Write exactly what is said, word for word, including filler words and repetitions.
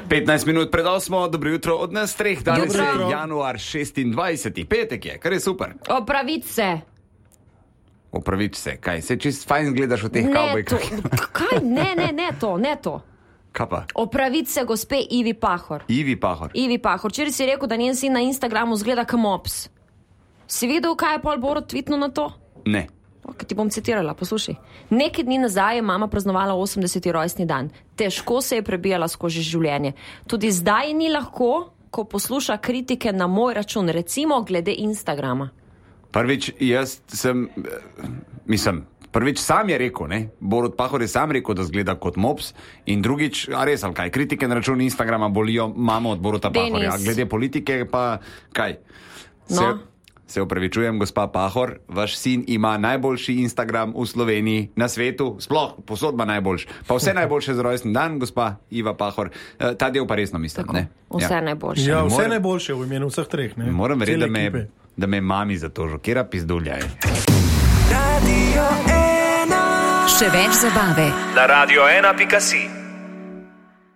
petnajst minut pred osmo, dobro jutro od nas treh, danes je januar šestindvajseti, petek je, kar je super. Opravič se. Opravič se, kaj, se čist fajn gledaš v teh Ne, kavbojkah. to, kaj, ne, ne, ne to, ne to. Kaj pa? Opravič se gospe Ivi Pahor. Ivi Pahor. Ivi Pahor, včeraj si rekel, da njen sin na Instagramu zgleda kao mops. Si videl, kaj je pol Borut tweetnul na to? Ne. Ok, ti bom citirala, poslušaj. Nekaj dni nazaj je mama praznovala osemdeseti rojstni dan. Težko se je prebijala skozi življenje. Tudi zdaj ni lahko, ko posluša kritike na moj račun, recimo glede Instagrama. Prvič, jaz sem, mislim, prvič sam je rekel, ne, Borut Pahor je sam rekel, da zgleda kot mops, in drugič, a res, ali kaj, kritike na račun Instagrama bolijo mamo od Boruta Pahorja, glede politike pa kaj. Se, No. se upravičujem, gospa Pahor, vaš sin ima najboljši Instagram v Sloveniji, na svetu, sploh, posod ima najboljši. Pa vse najboljše za rojstni dan, gospa Iva Pahor. E, ta del pa resno mislim, Tako, ne? vse ja. najboljše. Ja, vse Moram- najboljše v imenu vseh treh. Ne? Moram verjeti, Cele da me, ekipe. da me mami za to žokira pizdulja je. Radio ena. Še več zabave Na radio ena pika si.